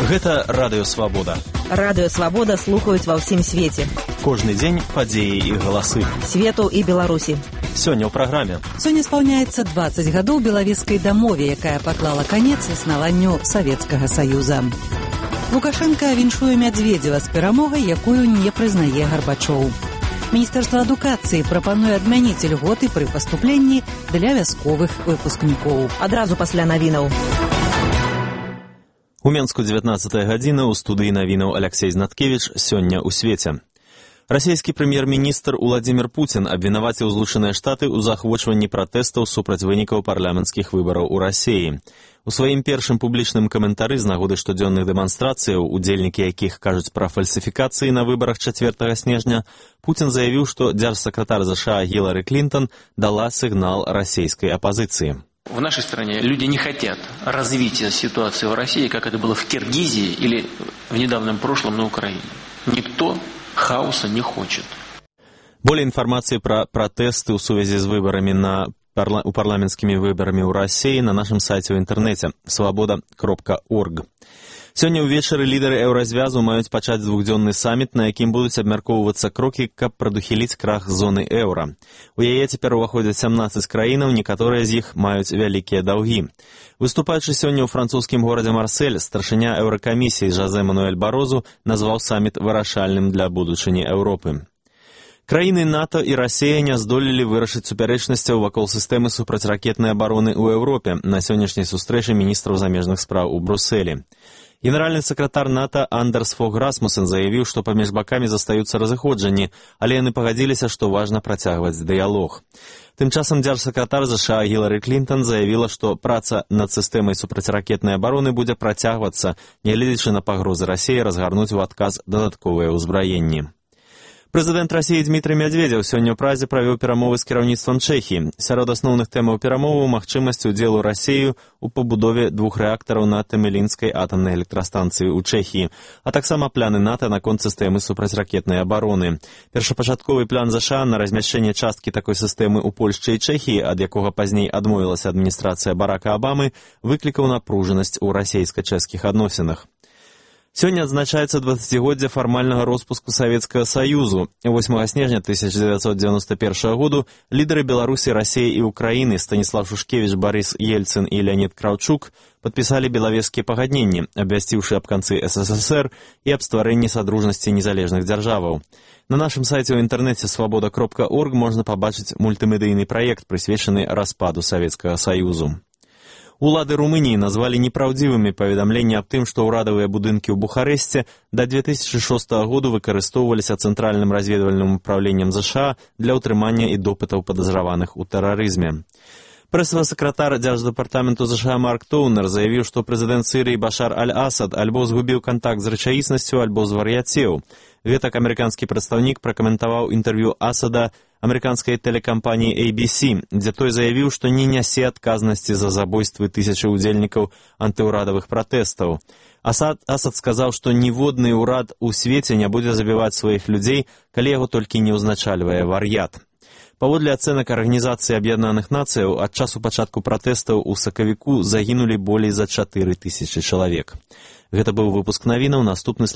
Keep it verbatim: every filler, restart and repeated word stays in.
Гэта Радыё Свабода. Радыё Свабода слухаюць ва ўсім свеце. Кожны дзень падзеі і галасы. Свету і Беларусі. Сёння ў праграме. Сёння спаўняецца дваццаць гадоў Белавежскай дамове, якая паклала канец існаванню Савецкага Саюза. Лукашенка віншуе Мядзведзева з перамогай, якую не прызнае Гарбачоў. Міністэрства адукацыі прапануе адмяніць льготы пры паступленні для вясковых выпускнікоў. Адразу пасля навінаў. У Менску дзевятнаццатая гадзіна, у студыі навінаў Аляксей Знаткевіч. Сёння ў свеце. Расійскі прэм'ер-міністр Уладзімір Пуцін абвінаваціў Злучаныя Штаты ў заахвочванні пратэстаў супраць вынікаў парламенцкіх выбараў у Расіі. У сваім першым публічным каментары з нагоды штодзённых дэманстрацыяў, удзельнікі якіх кажуць пра фальсіфікацыі на выбарах чацвёртага снежня, Пуцін заявіў, што дзяржсакратар ЗША Гілары Клінтон дала сігнал расійскай апазіцыі. В нашей стране люди не хотят развития ситуации в России, как это было в Киргизии или в недавнем прошлом на Украине. Никто хаоса не хочет. Более информации про протесты в связи с выборами на парла... у парламентскими выборами у России на нашем сайте в интернете свобода кропка орг. Сёння ўвечары лідары еўразвязу маюць пачаць двухдзённы саміт, на якім будуць абмяркоўвацца крокі, каб прадухіліць крах зоны еўра. У яе цяпер уваходзяць сямнаццаць краінаў, некаторыя з іх маюць вялікія даўгі. Выступаючы сёння ў французскім горадзе Марсель, старшыня еўракамісіі Жозе Мануэль Барозу назваў саміт вырашальным для будучыні Еўропы. Краіны НАТО і Расія не здолелі вырашыць супярэчнасцяў вакол сістэмы супрацьракетнай абароны ў Еўропе на сённяшняй сустрэчы міністраў замежных спраў у Брюсселі. Генеральны сакратар НАТО Андерс Фог Расмусен заявіў, што паміж бакамі застаюцца разыходжанні, але яны пагадзіліся, што важна працягваць дыялог. Тым часам дзяржсакратар ЗША Гілары Клінтон заявіла, што праца над сістэмай супрацьракетнай абароны будзе працягвацца, нягледзячы на пагрозы Расіі разгарнуць у адказ дадатковыя ўзбраенні. Прэзідэнт Расіі Дмітрый Мядзведзеў сёння ў Празе правёў перамовы з кіраўніцтвам Чэхіі. Сярод асноўных тэмаў перамоваў магчымасць удзелу Расіі ў пабудове двух рэактараў на Тэмелінскай атамнай электрастанцыі ў Чэхіі, а таксама пляны НАТО наконт сістэмы супрацьракетнай абароны. Першапачатковы план ЗША на размяшчэнне часткі такой сістэмы ў Польшчы і Чэхіі, ад якога пазней адмовілася адміністрацыя Барака Абамы, выклікаў напружанасць у расійска-чэшскіх адносінах. Сёння адзначаецца дваццацігоддзе фармальнага роспуску Савецкага Саюзу. восьмага снежня тысяча дзевяцьсот дзевяносто першага году лідары Беларусі, Расіі і Украіны Станіслав Шушкевіч, Барыс Ельцын і Леонід Краўчук падпісалі белавежскія пагадненні, абвясціўшы аб канцы СССР і аб стварэнні садружнасці незалежных дзяржаваў. На нашым сайце ў інтэрнэце свобода кропка орг можна пабачыць мультымедыйны праект, прысвечаны распаду Савецкага Саюзу. Улады Румыніі назвалі непраўдзівымі паведамленні аб тым, што ўрадавыя будынкі ў Бухарэсце да две тысячы шостага году выкарыстоўваліся Цэнтральным разведвальным управленнем ЗША для ўтрымання і допытаў падазраваных у тэрарызме. Прэсавы сакратар дзярждэпартаменту ЗША Марк Тоўнер заявіў, што прэзідэнт Сірыі Башар Аль-Асад альбо згубіў кантакт з рэчаіснасцю, альбо звар'яцеў. Гэтак амерыканскі прадстаўнік пракаментаваў інтэрв'ю Асада амерыканскай тэлекампаніі эй би си, дзе той заявіў, што не нясе адказнасці за забойствы тысячы ўдзельнікаў антыўрадавых пратэстаў. Асад, Асад сказаў, што ніводны ўрад у свеце не будзе забіваць сваіх людзей, калі яго толькі не ўзначальвае вар'ят. Паводле ацэнак Арганізацыі Аб'яднаных Нацыяў, ад часу пачатку пратэстаў у сакавіку загінулі болей за чатыры тысячы чалавек. Гэта быў выпуск навінаў, наступны